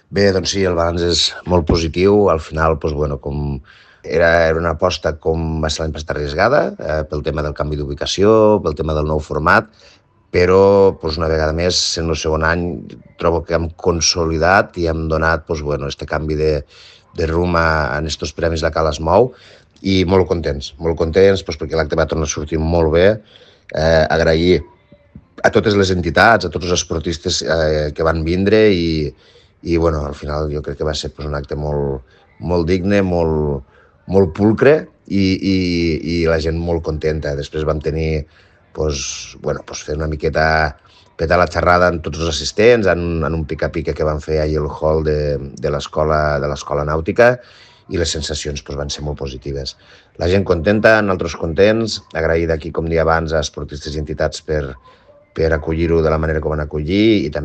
Bé, doncs sí, el balanç és molt positiu. Al final, doncs, bueno, com era una aposta com va ser l'any passat arriscada, pel tema del canvi d'ubicació, pel tema del nou format, però doncs, una vegada més, sent el segon any, trobo que hem consolidat i hem donat doncs, bueno, este canvi de rumb en estos premis La Cala es mou, i molt contents doncs, perquè l'acte va tornar a sortir molt bé. Agrair a totes les entitats, a tots els esportistes que van vindre i bueno, al final jo crec que va ser pues, un acte molt digne, molt pulcre i la gent molt contenta. Després vam tenir pues, bueno, pues fer una miqueta petar la xerrada amb tots els assistents en un pica-pica que van fer ahir al hall de l'escola nàutica i les sensacions pues, van ser molt positives. La gent contenta, nosaltres contents, agrair d'aquí, com dia abans, a esportistes i entitats per acollir-ho de la manera que ho van acollir i també